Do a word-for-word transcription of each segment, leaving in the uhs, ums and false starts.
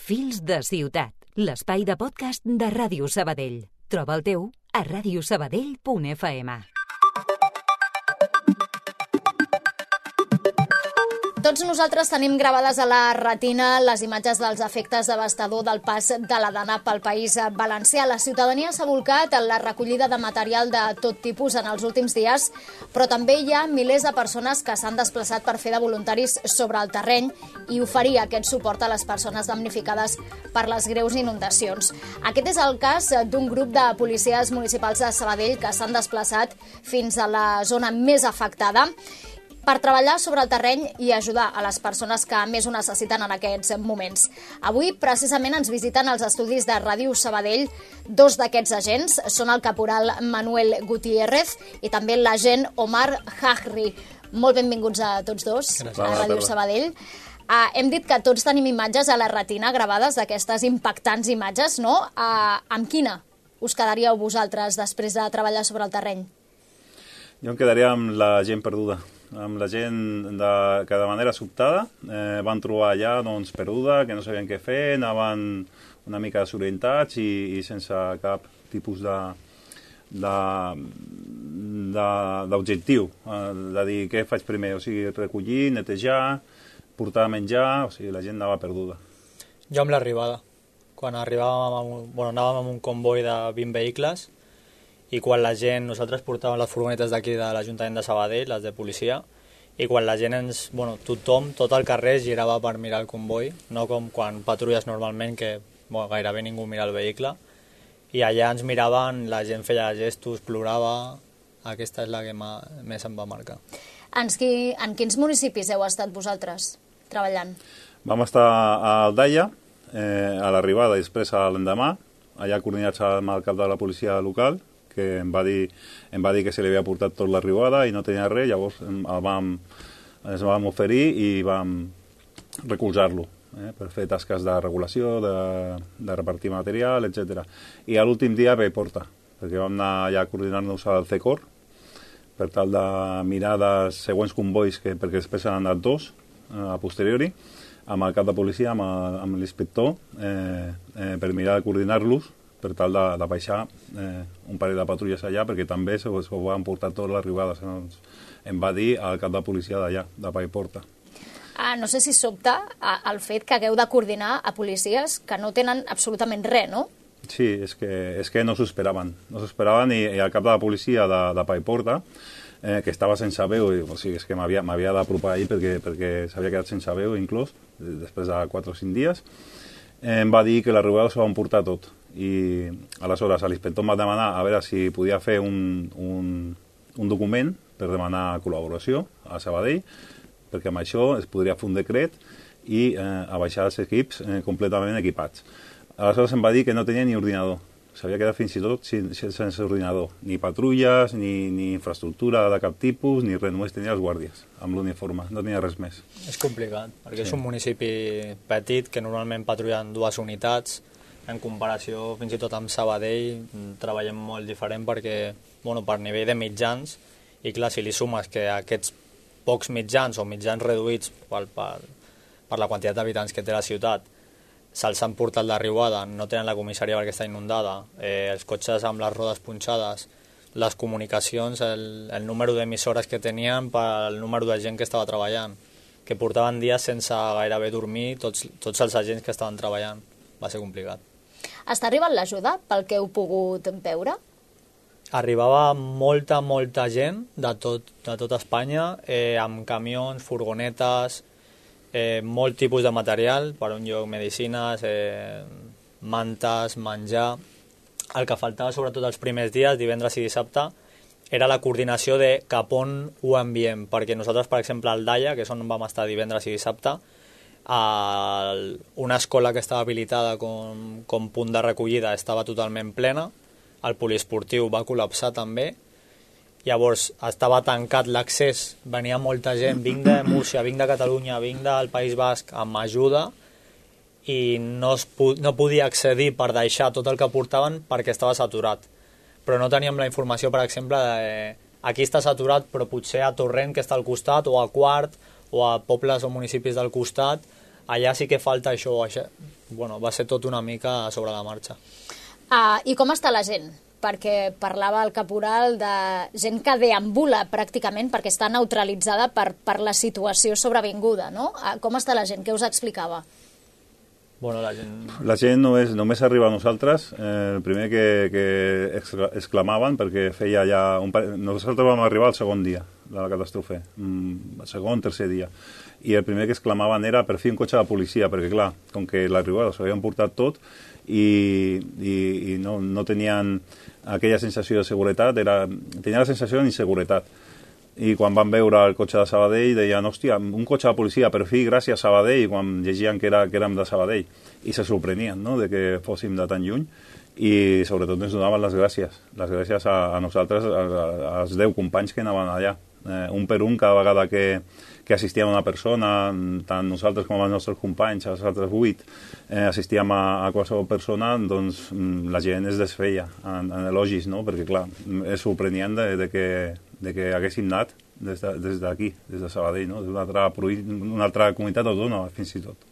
Fils de ciutat, l'espai de podcast de Ràdio Sabadell. Troba el teu a ràdio sabadell punt f m. Tots nosaltres tenim gravades a la retina les imatges dels efectes devastadors del pas de la Dana pel País Valencià. La ciutadania s'ha volcat en la recollida de material de tot tipus en els últims dies, però també hi ha milers de persones que s'han desplaçat per fer de voluntaris sobre el terreny i oferir aquest suport a les persones damnificades per les greus inundacions. Aquest és el cas d'un grup de policies municipals de Sabadell que s'han desplaçat fins a la zona més afectada per treballar sobre el terreny i ajudar a les persones que més ho necessiten en aquests moments. Avui, precisament, ens visiten els estudis de Ràdio Sabadell. Dos d'aquests agents són el caporal Manuel Gutiérrez i també l'agent Omar Hajri. Molt benvinguts a tots dos Gràcies. a Ràdio Sabadell. Uh, hem dit que tots tenim imatges a la retina gravades d'aquestes impactants imatges, no? Uh, amb quina us quedaríeu vosaltres després de treballar sobre el terreny? Jo em quedaria amb la gent perduda, amb la gent de, que de manera sobtada eh, van trobar allà doncs, perduda, que no sabien què fer, anaven una mica desorientats i, i sense cap tipus de d'objectiu, de, de dir què faig primer, o sigui, recollir, netejar, portar menjar, o sigui, la gent anava perduda. Jo amb l'arribada, quan arribàvem amb un, bueno, anàvem amb un comboi de vint vehicles i quan la gent, nosaltres portàvem les furgonetes d'aquí de l'Ajuntament de Sabadell, les de policia, i quan la gent ens, bueno, tothom, tot el carrer girava per mirar el comboi, no com quan patrulles normalment que bueno, gairebé ningú mira el vehicle, i allà ens miraven, la gent feia gestos, plorava, aquesta és la que més em va marcar. En, qui, en quins municipis heu estat vosaltres treballant? Vam estar a Aldaia, eh, a l'arribada i després a l'endemà, allà coordinats amb el cap de la policia local, que em va dir, em va dir que se li havia portat tot l'arribada i no tenia res, llavors el vam, ens vam oferir i vam recolzar-lo eh, per fer tasques de regulació, de, de repartir material, etcètera. I a l'últim dia ve Porta, perquè vam anar ja a coordinar-nos al C E C O R per tal de mirar dels següents convois, que, perquè després han anat dos eh, a posteriori, amb el cap de policia, amb, amb l'inspector, eh, eh, per mirar de coordinar-los per tal de, de baixar eh, un parell de patrulles allà, perquè també se ho van portar tot l'arribada. Doncs, em va dir el cap de policia d'allà, de Paiporta. Ah, no sé si sobta el fet que hagueu de coordinar a policies que no tenen absolutament res, no? Sí, és que, és que no s'ho esperaven. No s'ho esperaven i, i el cap de la policia de, de Paiporta, eh, que estava sense veu, i, o sigui, és que m'havia d'apropar ahir perquè, perquè s'havia quedat sense veu inclús, després de quatre o cinc dies, eh, em va dir que l'arribada s'ho van portar tot. I aleshores l'inspector em va demanar a veure si podia fer un, un, un document per demanar col·laboració a Sabadell, perquè amb això es podria fer un decret i eh, a baixar els equips eh, completament equipats. Aleshores em va dir que no tenia ni ordinador, s'havia quedat fins i tot sense ordinador, ni patrulles, ni, ni infraestructura de cap tipus, ni res, només tenia els guàrdies amb l'uniforme, no tenia res més. És complicat, perquè sí. És un municipi petit que normalment patrullen dues unitats. En comparació, fins i tot amb Sabadell, treballem molt diferent perquè, bueno, per nivell de mitjans, i clar, si li sumes que aquests pocs mitjans o mitjans reduïts per, per, per la quantitat d'habitants que té la ciutat, se'ls han portat l'arribada, no tenen la comissaria perquè està inundada, eh, els cotxes amb les rodes punxades, les comunicacions, el, el número d'emissores que tenien pel número de gent que estava treballant, que portaven dies sense gairebé dormir tots, tots els agents que estaven treballant. Va ser complicat. Està arribant l'ajuda pel que heu pogut veure? Arribava molta, molta gent de tot, de tot Espanya, eh, amb camions, furgonetes, eh, molt tipus de material, per un lloc medicines, eh, mantes, menjar. El que faltava sobretot els primers dies, divendres i dissabte, era la coordinació de cap on ho enviem, perquè nosaltres, per exemple, al Daia, que és on vam estar divendres i dissabte, a una escola que estava habilitada com, com punt de recollida estava totalment plena, el poliesportiu va col·lapsar també, llavors estava tancat l'accés, venia molta gent, vinc de Múrcia, vinc de Catalunya, vinc del País Basc amb ajuda i no, es, no podia accedir per deixar tot el que portaven perquè estava saturat, però no teníem la informació, per exemple, de aquí està saturat però potser a Torrent, que està al costat, o a Quart, o a pobles o municipis del costat allà sí que falta això, això. Bueno, va ser tot una mica sobre la marxa. Ah, I com està la gent? Perquè parlava el caporal de gent que deambula pràcticament perquè està neutralitzada per, per la situació sobrevinguda, no? Ah, com està la gent? Què us explicava? Bueno, la gent... La gent només, només arriba a nosaltres. Eh, el primer que, que exclamaven, perquè feia ja... Un par... Nosaltres vam arribar el segon dia de la catàstrofe, el segon, tercer dia. I el primer que exclamaven era per fi un cotxe de policia, perquè clar, com que l'arribada s'havien portat tot i, i, i no, no tenien aquella sensació de seguretat, era, tenia la sensació d'inseguretat. I quan van veure el cotxe de Sabadell deien, hòstia, un cotxe de policia, per fi, gràcies Sabadell, quan llegien que, era, que érem de Sabadell. I se sorprenien, no?, de que fóssim de tan lluny. I sobretot ens donaven les gràcies. Les gràcies a, a nosaltres, a, a, als deu companys que anaven allà. Eh, un per un, cada vegada que, que assistíem a una persona, tant nosaltres com els nostres companys, els altres vuit, eh, assistíem a, a qualsevol persona, doncs la gent es desfeia en, en elogis, no?, perquè clar, és sorprenent de, de, que, de que haguéssim anat des d'aquí, de, des de Sabadell, no?, d'una altra, una altra comunitat autònoma, fins i tot.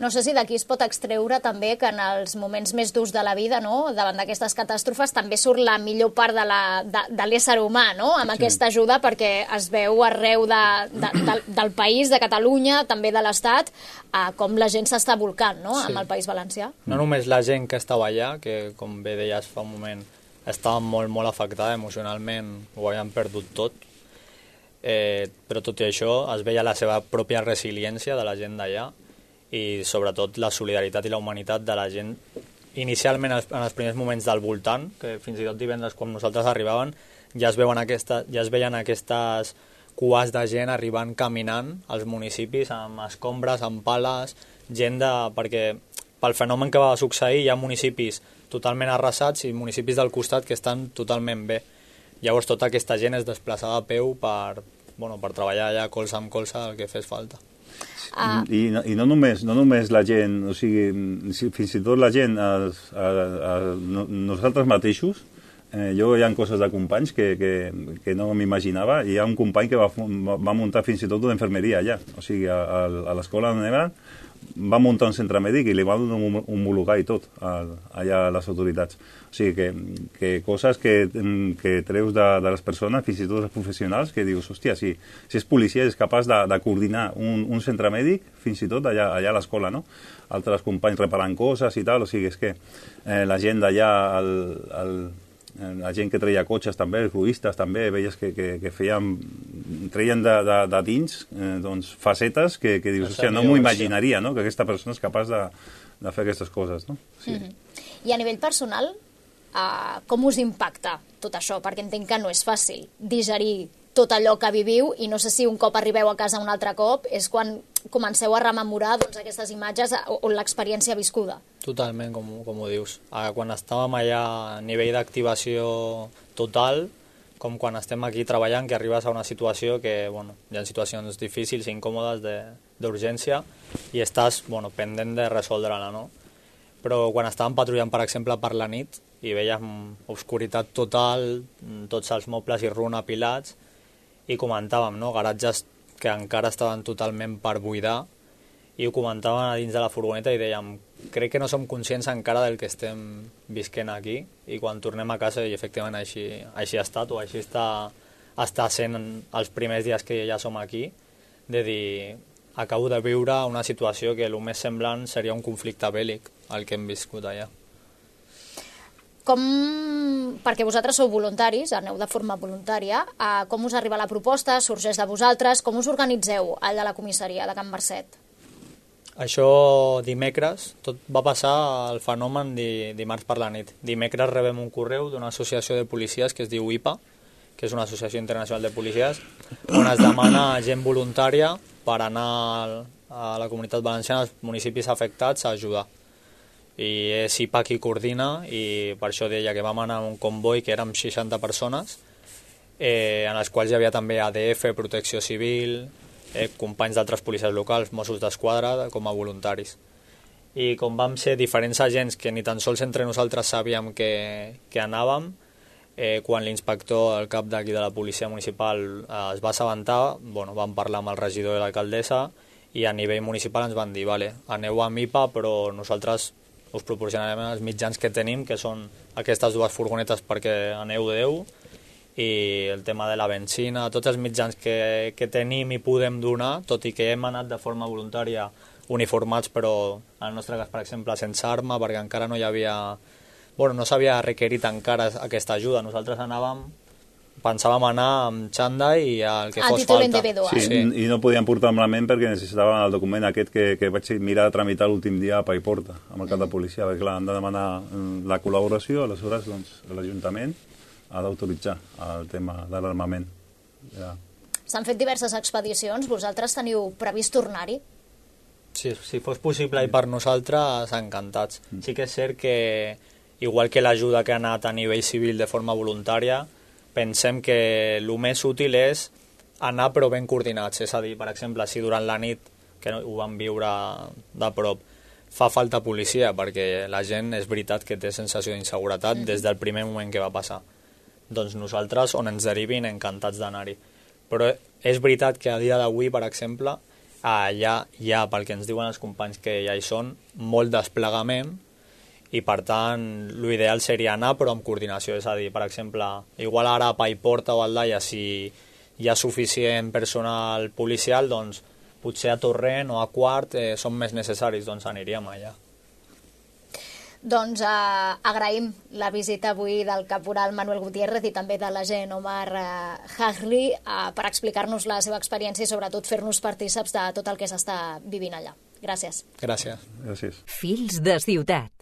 No sé si d'aquí es pot extreure també que en els moments més durs de la vida, no?, davant d'aquestes catàstrofes, també surt la millor part de, la, de, de l'ésser humà, no?, amb sí. aquesta ajuda, perquè es veu arreu de, de, de, del país, de Catalunya, també de l'Estat, eh, com la gent s'està volcant, no?, sí. amb el País Valencià. No només la gent que estava allà, que com bé deies fa un moment, estava molt, molt afectada emocionalment, ho havien perdut tot, eh, però tot i això es veia la seva pròpia resiliència de la gent d'allà, i sobretot la solidaritat i la humanitat de la gent inicialment en els primers moments del voltant, que fins i tot divendres quan nosaltres arribaven ja es, veuen aquesta, ja es veien aquestes cues de gent arribant caminant als municipis amb escombres, amb pales, gent de... perquè pel fenomen que va succeir hi ha municipis totalment arrasats i municipis del costat que estan totalment bé. Llavors tota aquesta gent es desplaçava a peu per, bueno, per treballar allà colze amb colze el que fes falta. Ah. I, no, i no, només, no només la gent, o sigui, fins i tot la gent, els, a, a, a, nosaltres mateixos, eh, jo hi ha coses de companys que, que, que no m'imaginava, i hi ha un company que va, va muntar fins i tot una infermeria allà, o sigui, a, a l'escola on eren, va muntar un centre mèdic i li van homologar i tot a, allà a les autoritats. O sigui, que, que coses que, que treus de, de les persones, fins i tot els professionals, que dius, hòstia, si, si és policia és capaç de, de coordinar un, un centre mèdic, fins i tot allà, allà a l'escola, no? Altres companys reparant coses i tal, o sigui, és que eh, la gent d'allà, el, el, la gent que treia cotxes també, els ruistes també, veies que, que, que feien, treien de, de, de dins eh, doncs, facetes que, que dius, hòstia, no m'ho imaginaria, no?, que aquesta persona és capaç de, de fer aquestes coses, no? Sí. Mm-hmm. I a nivell personal, uh, com us impacta tot això? Perquè entenc que no és fàcil digerir tot allò que viviu, i no sé si un cop arribeu a casa un altre cop és quan comenceu a rememorar doncs, aquestes imatges o, o l'experiència viscuda. Totalment, com, com ho dius. Quan estàvem allà a nivell d'activació total, com quan estem aquí treballant, que arribes a una situació que, bueno, hi ha situacions difícils i incòmodes d'urgència i estàs, bueno, pendent de resoldre-la, no? Però quan estàvem patrullant, per exemple, per la nit i vèiem obscuritat total, tots els mobles i runa apilats, i comentàvem, no?, garatges que encara estaven totalment per buidar, i ho comentàvem a dins de la furgoneta i dèiem, crec que no som conscients encara del que estem visquent aquí, i quan tornem a casa, i efectivament així, així ha estat, o així està, està sent els primers dies que ja som aquí, de dir, acabo de viure una situació que el més semblant seria un conflicte bèl·lic, el que hem viscut allà. Com, perquè vosaltres sou voluntaris, aneu de forma voluntària, eh, com us arriba la proposta, sorgeix de vosaltres, com us organitzeu allà a la comissaria de Can Marcet? Això dimecres, tot va passar el fenomen di, dimarts per la nit. Dimecres rebem un correu d'una associació de policies que es diu I P A, que és una associació internacional de policies, on es demana gent voluntària per anar a la Comunitat Valenciana, als municipis afectats, a ajudar. I és I P A qui coordina, i per això deia que vam anar a un comboi que érem seixanta persones, eh, en els quals hi havia també A D F, Protecció Civil, eh, companys d'altres policies locals, Mossos d'Esquadra, com a voluntaris. I com vam ser diferents agents que ni tan sols entre nosaltres sabíem que, que anàvem, eh, quan l'inspector, el cap d'aquí de la policia municipal, eh, es va assabentar, bueno, vam parlar amb el regidor i l'alcaldessa, i a nivell municipal ens van dir, vale, aneu amb I P A, però nosaltres us proporcionarem els mitjans que tenim, que són aquestes dues furgonetes perquè aneu deu, i el tema de la benzina, tots els mitjans que, que tenim i podem donar, tot i que hem anat de forma voluntària uniformats, però en el nostre cas, per exemple, sense arma, perquè encara no hi havia... Bueno, no s'havia requerit encara aquesta ajuda. Nosaltres anàvem, pensàvem anar amb xanda i el que a fos títol falta. individual. Sí, sí, i no podien portar amb la ment perquè necessitaven el document aquest que, que vaig mirar de tramitar l'últim dia a Paiporta, amb el cap de policia, perquè clar, han de demanar la col·laboració, aleshores doncs, l'Ajuntament ha d'autoritzar el tema de l'armament. Ja. S'han fet diverses expedicions, vosaltres teniu previst tornar-hi? Sí, si fos possible i per nosaltres, encantats. Sí que és cert que, igual que l'ajuda que ha anat a nivell civil de forma voluntària, pensem que el més útil és anar però ben coordinats. És a dir, per exemple, si durant la nit, que ho vam viure de prop, fa falta policia, perquè la gent és veritat que té sensació d'inseguretat mm. des del primer moment que va passar. Doncs nosaltres, on ens derivin, encantats d'anar-hi. Però és veritat que a dia d'avui, per exemple, allà hi ha, pel que ens diuen els companys que ja hi són, molt desplegament i, per tant, l'ideal seria anar però amb coordinació. És a dir, per exemple, igual ara a Paiporta o a Aldaia, si hi ha suficient personal policial, doncs potser a Torrent o a Quart eh, són més necessaris, doncs aniríem allà. Doncs eh, agraïm la visita avui del caporal Manuel Gutiérrez i també de l'agent Omar eh, Hagli eh, per explicar-nos la seva experiència i sobretot fer-nos partíceps de tot el que s'està vivint allà. Gràcies. Gràcies. Gràcies. Fils de ciutat.